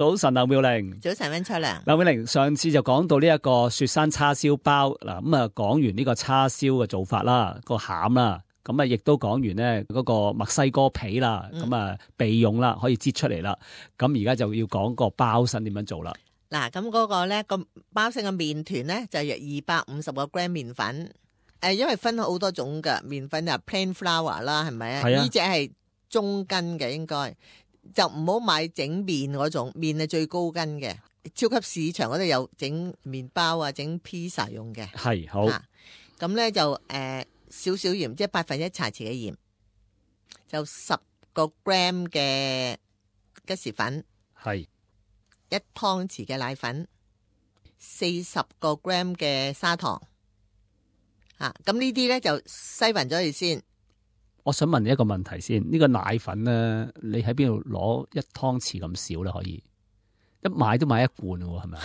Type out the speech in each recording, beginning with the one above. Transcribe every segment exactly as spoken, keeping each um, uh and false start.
早晨，劉妙玲。早晨，溫秋良。劉妙玲，上次就講到呢一個雪山叉燒包嗱，咁啊講完呢個叉燒嘅做法啦，個餡啦，咁啊亦都講完咧嗰個墨西哥皮啦，咁啊備用啦，可以擠出嚟啦。咁而家就要講個包身點樣做啦。嗱，咁嗰個咧個包身嘅麵團咧就係二百五十個 gram 麵粉。誒，因為分好多種嘅麵粉啊 ，plain flour 啦，係咪啊？呢隻係中筋嘅，應該。就唔好買整麵嗰種，麵係最高筋嘅。超級市場嗰度有整麵包啊，整 pizza 用嘅。係好。咁咧、啊、就誒、呃、少少鹽，即係百分一茶匙嘅鹽，就十個 gram 嘅吉士粉，係一湯匙嘅奶粉，四十個 gram 嘅砂糖。嚇，咁呢啲咧就篩勻咗佢先。我想問你一個問題先，呢、這個奶粉咧，你喺邊度攞一湯匙咁少咧？可以一買都買一罐喎，係咪？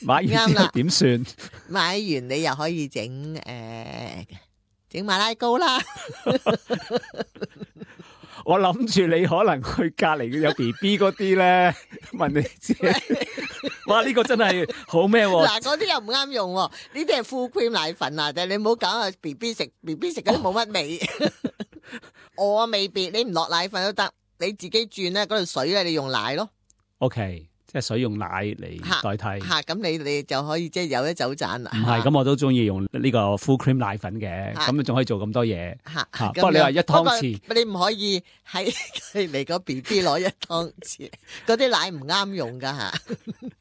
買完之後點算？買完你又可以整誒整馬拉糕啦。我諗住你可能去隔籬有 B B 嗰啲咧，問你知。哇！呢、這個真係好咩？嗱，嗰啲又唔啱用，呢啲係 full cream 奶粉啊！但係你唔好搞啊 B B 食 B B 食嗰啲冇乜味。我未必，你唔落奶粉都得，你自己轉咧嗰度水咧，你用奶咯。O、okay, K， 即係水用奶嚟代替。吓，咁你你就可以即係有一走盞啦。唔係，咁我都中意用呢個 full cream 奶粉嘅，咁仲可以做咁多嘢。吓，不過你話一湯匙，你唔可以喺嚟個 B B 攞一湯匙，嗰啲奶唔啱用噶吓。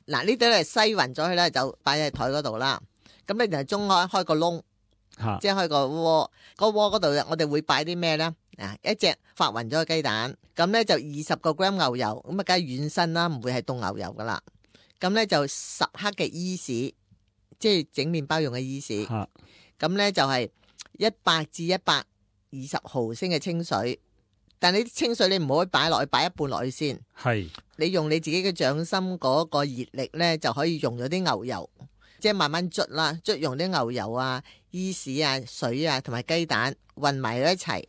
嗱，呢啲咧篩勻咗佢咧，就擺喺台嗰度啦。咁你就中開開個窿。即係開個鍋，個鍋嗰度我哋會擺啲咩咧？啊，一隻發勻咗嘅雞蛋，咁咧就二十個 gram 牛油，咁啊梗係軟身啦，唔會係凍牛油噶啦。咁咧就十克嘅伊士，即係整麵包用嘅伊士。咁咧就係一百至一百二十毫升嘅清水，但係你啲清水你唔可以擺落去，擺一半落去先。係，你用你自己嘅掌心嗰個熱力咧，就可以溶咗啲牛油。即係慢慢捽啦，捽用啲牛油啊、伊士啊、水啊同埋雞蛋混埋咗一齊，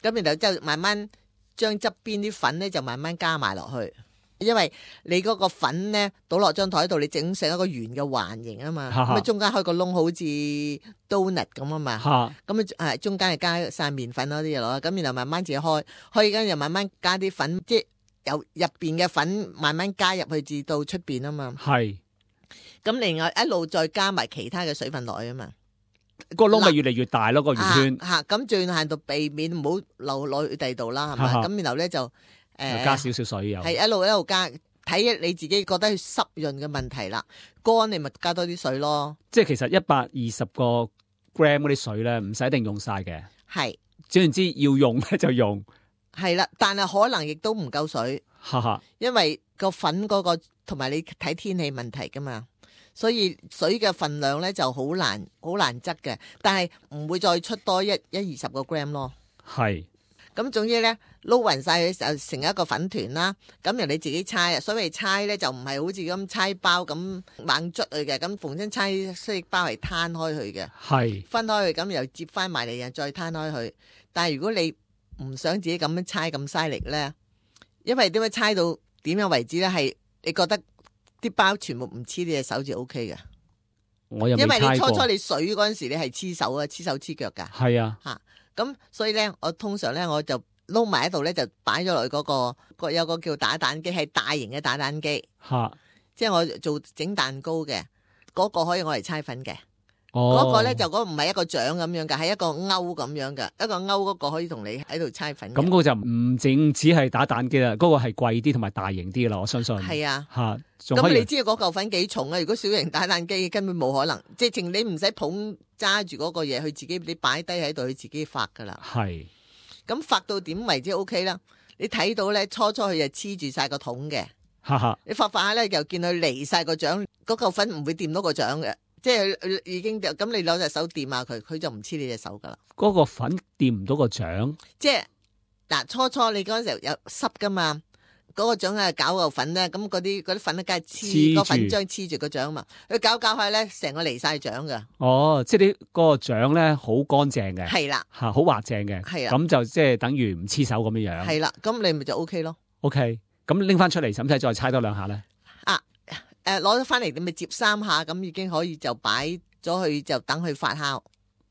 咁然後就慢慢將側邊啲粉咧就慢慢加埋落去，因為你嗰個粉咧倒落張台度，你整成一個圓嘅環形啊嘛，咁啊中間開個窿好似 donut 咁啊嘛，咁啊誒中間係加晒麵粉嗰啲嘢落，咁然後慢慢自己開，開緊又慢慢加啲粉，即係由入邊嘅粉慢慢加入去至到出邊啊嘛。係。咁另外一路再加埋其他嘅水分落去啊嘛，個窿咪越嚟越大咯，個圓圈。吓，咁最限度避免唔好流落去第度啦，係咪？咁然後咧就誒、呃、加少少水油，係一路一路加，睇你自己覺得濕潤嘅問題啦。乾你咪加多啲水咯。即係其實一百二十個 gram 嗰啲水咧，唔使一定用晒嘅。係，總言之要用咧就用。係啦，但係可能亦都唔夠水，因為個粉嗰、嗰個同埋你睇天氣問題噶嘛。所以水嘅份量咧就好難好難質嘅，但係唔會再出多一一二十個 gram 咯。係，咁總之咧撈勻晒佢就成一個粉團啦。咁由你自己猜啊，所謂猜咧就唔係好似咁猜包咁猛捽佢嘅，咁逢親猜西包係攤開佢嘅，係分開佢，咁又接翻埋嚟又再攤開佢。但係如果你唔想自己咁樣猜咁嘥力咧，因為點樣猜到點樣為止咧？係你覺得啲包全部唔黐你隻手就 O K 嘅，我又因為你初初你水嗰陣時你係黐手啊，黐手黐腳噶。係啊，吓咁所以咧，我通常咧我就撈埋喺度咧，就擺咗落去嗰個個有個叫打蛋機，係大型嘅打蛋機。吓，即係我做整蛋糕嘅嗰個可以我嚟猜粉嘅。哦，嗰個咧就嗰個唔係一個掌咁樣嘅，係一個勾咁樣嘅，一個勾嗰個可以同你喺度猜粉。咁嗰個就唔淨只係打蛋機啦，嗰個係貴啲同埋大型啲啦，我相信。係啊，吓。咁你知道嗰嚿粉幾重啊？如果小型打蛋機根本冇可能，即係你唔使捧揸住嗰個嘢，佢自己你擺低喺度，佢自己發噶啦。係。咁發到點為之 O K 啦？你睇到咧，初初佢就黐住晒個桶嘅。哈哈。你發發下咧，又見佢離晒個掌，嗰嚿粉唔會掂到個掌嘅。即係已經咁，你攞隻手掂下佢，佢就唔黐你隻手噶啦。嗰個粉掂唔到個掌，即係嗱，初初你嗰陣時候有濕噶嘛，嗰、嗰個掌係搞個粉咧，咁嗰啲嗰啲粉咧梗係黐個粉漿黐住個掌嘛，佢搞搞下咧，成個離晒掌噶。哦，即係啲嗰個掌咧好乾淨嘅，係啦，吓好滑淨嘅，係啊，咁就即係等於唔黐手咁樣樣。係啦，咁你咪就 O K 咯。O K，咁拎翻出嚟，使唔使再搓多兩下咧？啊，誒，攞咗翻嚟你咪接三下，咁已經可以就擺咗去，就等佢發酵。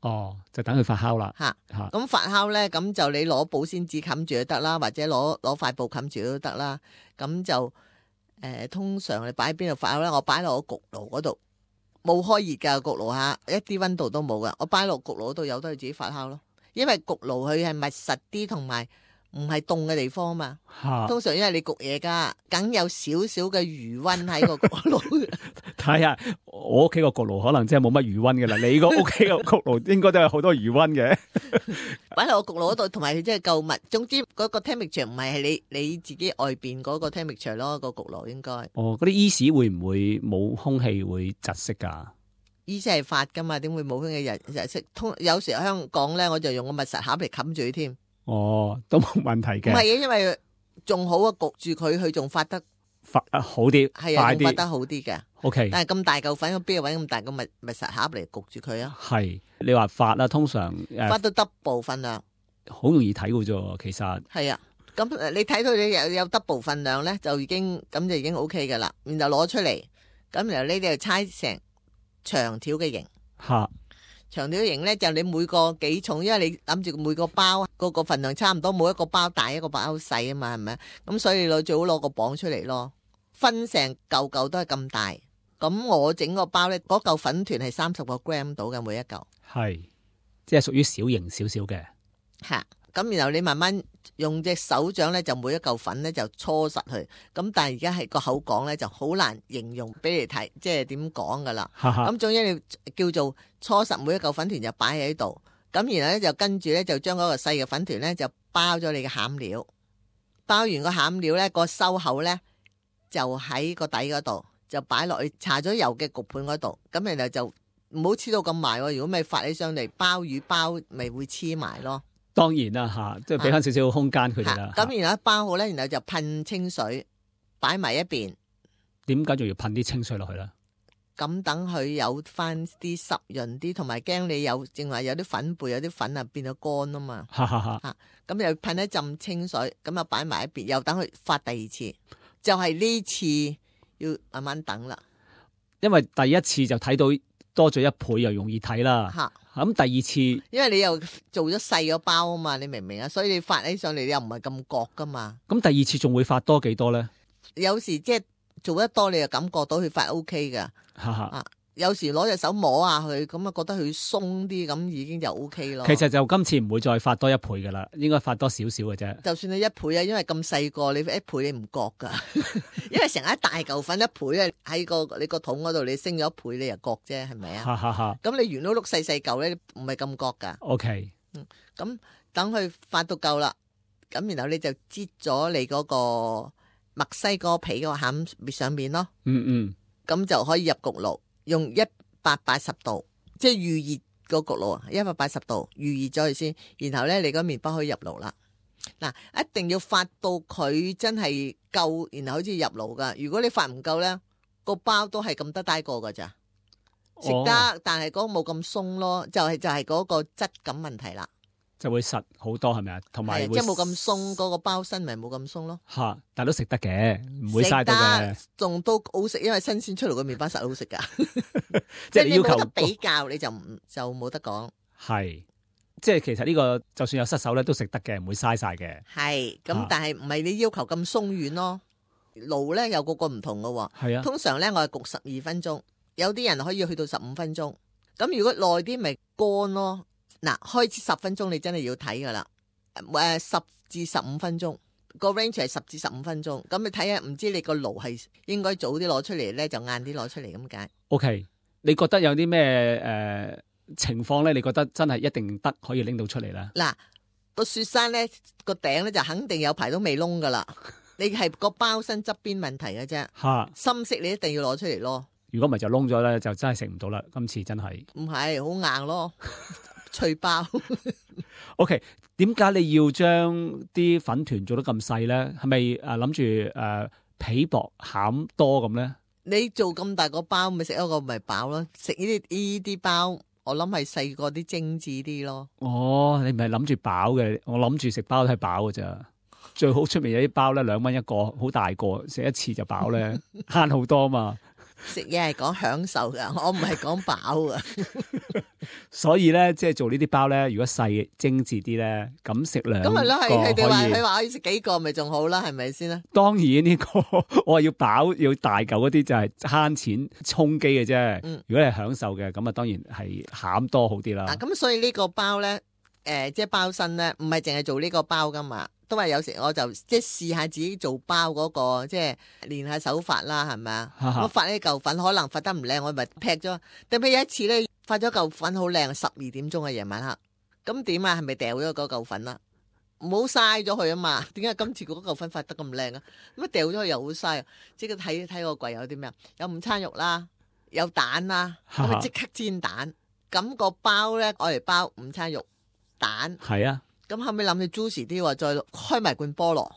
哦，就等佢發酵啦。吓吓，咁發酵咧，咁就你攞保鮮紙冚住都得啦，或者攞攞塊布冚住都得啦。咁就誒、呃，通常你擺喺邊度發酵咧？我擺落個焗爐嗰度，冇開熱噶焗爐吓，一啲溫度都冇噶。我擺落焗爐嗰度，由得佢自己發酵咯。因為焗爐佢係密實啲，同埋唔係凍嘅地方啊嘛。啊通常因為你焗嘢噶，梗有少少嘅餘溫喺個焗爐。睇下我屋企個焗爐可能真係冇乜餘溫嘅啦，你個屋企個焗爐應該都有好多餘溫嘅。擺落個焗爐嗰度，同埋佢真係夠密。總之嗰個 temperature 唔係係你你自己外邊嗰個 temperature 咯，個焗爐應該。哦，嗰啲 yeast 會唔會冇空氣會窒息噶yeast係發噶嘛，點會冇空氣人窒息？通有時香港咧，我就用個密實盒嚟冚住佢添。哦，都冇問題嘅。唔係嘅，因為仲好啊，焗住佢，佢仲發得發好啲，係啊，仲發得好啲嘅。O K，但係咁大嚿粉，我邊度搵咁大個密密實盒嚟焗住佢啊？係你話發啦，通常誒發到 double 份量，好容易睇嘅啫。其實係啊，咁你睇到你有有 double 份量咧，就已經咁就已經 O K 噶啦。然後攞出嚟，咁然後呢啲就猜成長條嘅形。吓。長條形咧就你每個幾重，因為你諗住每個包個個份量差唔多，每一個包大一個包細啊嘛，係咪？咁所以你最好攞個磅出嚟咯，分成嚿嚿都係咁大。咁我整個包咧，嗰嚿粉團係三十個 gram 到嘅每一嚿，係即係屬於小型少少嘅。吓，咁然後你慢慢用隻手掌咧，就每一嚿粉咧就搓實佢。咁但係而家係個口講咧就好難形容俾你睇，即係點講噶啦。咁總之你叫做搓實每一嚿粉團就擺喺度。咁然後咧就跟住咧就將嗰個細嘅粉團咧就包咗你嘅餡料。包完個餡料咧，個收口咧就喺個底嗰度，就擺落去搽咗油嘅焗盤嗰度。咁然後就唔好黐到咁埋喎。如果咪發起上嚟，鮑魚包咪會黐埋咯。當然啦，吓，即係俾翻少少空間佢哋啦。咁然後一包好咧，然後就噴清水，擺埋一邊。點解仲要噴啲清水落去咧？咁等佢有翻啲濕潤啲，同埋驚你有正話有啲粉貝，有啲粉啊變咗乾啊嘛。哈哈哈。咁又噴一浸清水，咁啊擺埋一邊，又等佢發第二次。就係呢次要慢慢等啦。因為第一次就睇到多咗一倍，又容易睇啦。吓。咁第二次，因為你又做咗細個包啊嘛，你明唔明啊？所以你發起上嚟，你又唔係咁覺噶嘛。咁第二次仲會發多幾多咧？有時即係做得多，你就感覺到佢發 O K 噶。啊，有時攞隻手摸下佢，咁啊覺得佢鬆啲，咁已經就 O K 咯。其實就今次唔會再發多一倍噶啦，應該發多少少嘅啫。就算你一倍啊，因為咁細個，你一倍你唔覺噶，因為成一大嚿粉一倍啊，喺個你個桶嗰度，你升咗一倍，你又覺啫，係咪啊？咁你圓碌碌細細嚿咧，唔係咁覺噶。O K，嗯，咁等佢發到夠啦，咁然後你就擠咗你嗰個墨西哥皮個餡上面咯。嗯嗯，咁就可以入焗爐。用一百八十度，即係預熱個焗爐啊，一百八十度預熱咗佢先，然後咧你個麵包可以入爐啦。嗱，一定要發到佢真係夠，然後好似入爐噶。如果你發唔夠咧，個包都係咁得低個噶咋，食得，哦、但係嗰個冇咁鬆咯，就係、是、就係、是、嗰個質感問題啦。就會實好多係咪啊？同埋即係冇咁鬆，嗰、那個包身咪冇咁鬆咯。吓，但係都食得嘅，唔會嘥到嘅。仲都好食，因為新鮮出爐嘅麵包實好食噶。即係你要求冇得比較，你就唔就冇得講。係，即係其實呢個就算有失手咧，都食得嘅，唔會嘥晒嘅。係，咁但係唔係你要求咁鬆軟咯。爐咧有個個唔同噶。係啊，通常咧我係焗十二分鐘，有啲人可以去到十五分鐘。咁如果耐啲咪乾咯。嗱，開始十分鐘你真係要睇噶啦，誒，十至十五分鐘個 range 係十至十五分鐘，咁你睇下，唔知你個爐係應該早啲攞出嚟咧，就晏啲攞出嚟咁解。OK，你覺得有啲咩誒情況咧？你覺得真係一定得可以拎到出嚟咧？嗱，個雪山咧個頂咧就肯定有排都未窿噶啦，你係個包身側邊問題嘅啫。吓，深色你一定要攞出嚟咯。如果唔係就窿咗咧，就真係食唔到啦。今次真係唔係好硬咯。脆包，OK？點解你要將啲粉團做得咁細咧？係咪誒諗住誒皮薄餡多咁咧？你做咁大個包，咪食一個咪飽咯？食呢啲呢啲包，我諗係細個啲精緻啲咯。哦，你唔係諗住飽嘅，我諗住食包都係飽嘅咋。最好出面有啲包咧，兩蚊一個，好大個，食一次就飽咧，慳好多嘛。食嘢係講享受噶，我唔係講飽啊。所以咧，即係做呢啲包咧，如果細精緻啲咧，咁食兩個咁咪咯，係佢哋話可以佢話可以食幾個，咪仲好啦，係咪先啦？當然呢、這個我話要飽要大嚿嗰啲就係慳錢充飢嘅啫。嗯、如果你係享受嘅，咁啊當然係餡多好啲啦。嗱，咁所以呢個包咧，誒、呃，即係包身咧，唔係淨係做呢個包噶嘛。都話有時我就即係試下自己做包嗰、那個，即係練下手法啦，係咪啊？我發呢嚿粉可能發得唔靚，我咪劈咗。特別有一次咧，發咗嚿粉好靚，十二點鐘嘅夜晚黑，咁點啊？係咪掉咗嗰嚿粉啊？唔好嘥咗佢啊嘛？點解今次嗰嚿粉發得咁靚啊？咁啊掉咗佢又好嘥，即刻睇睇個櫃有啲咩？有午餐肉啦，有蛋啦，咁啊即刻煎蛋。咁、那個包咧，我嚟包午餐肉蛋。係啊。咁後尾諗起 juicy 啲話，再開埋罐菠蘿。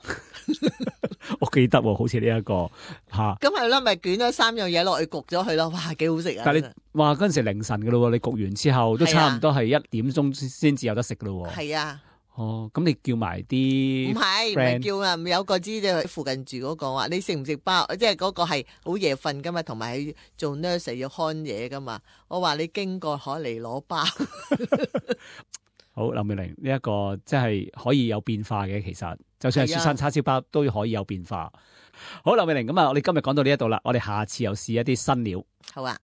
我記得喎，好似呢一個吓。咁係啦，咪捲咗三樣嘢落去焗咗佢咯，哇，幾好食啊！但係你哇嗰陣時凌晨噶咯，你焗完之後都差唔多係一點鐘先至有得食噶咯。係啊。哦，咁你叫埋啲唔係唔係叫啊？有個知喺附近住嗰個話，你食唔食包？即係嗰個係好夜瞓噶嘛，同埋係做 nurse 要看嘢噶嘛。我話你經過可嚟攞包。好，劉妙玲呢一個即係可以有變化嘅，其實就算係雪山叉燒包都可以有變化。好，劉妙玲，咁啊，我哋今日講到呢一度啦，我哋下次又試一啲新料。好啊。